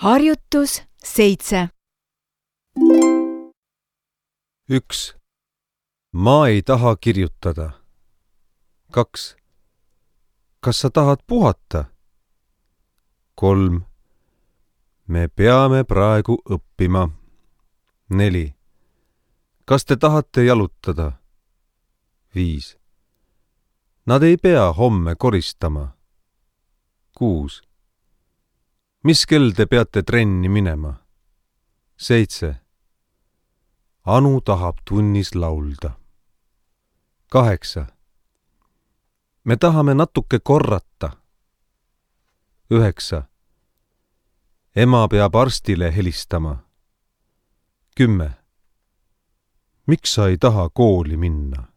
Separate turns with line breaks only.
Harjutus 7.
1. Ma ei taha kirjutada. 2. Kas sa tahad puhata? 3. Me peame praegu õppima. 4. Kas te tahate jalutada? 5. Nad ei pea homme koristama. 6. Mis kell te peate trenni minema? 7. Anu tahab tunnis laulda. 8. Me tahame natuke korrata. 9. Ema peab arstile helistama. 10. Miks sa ei taha kooli minna?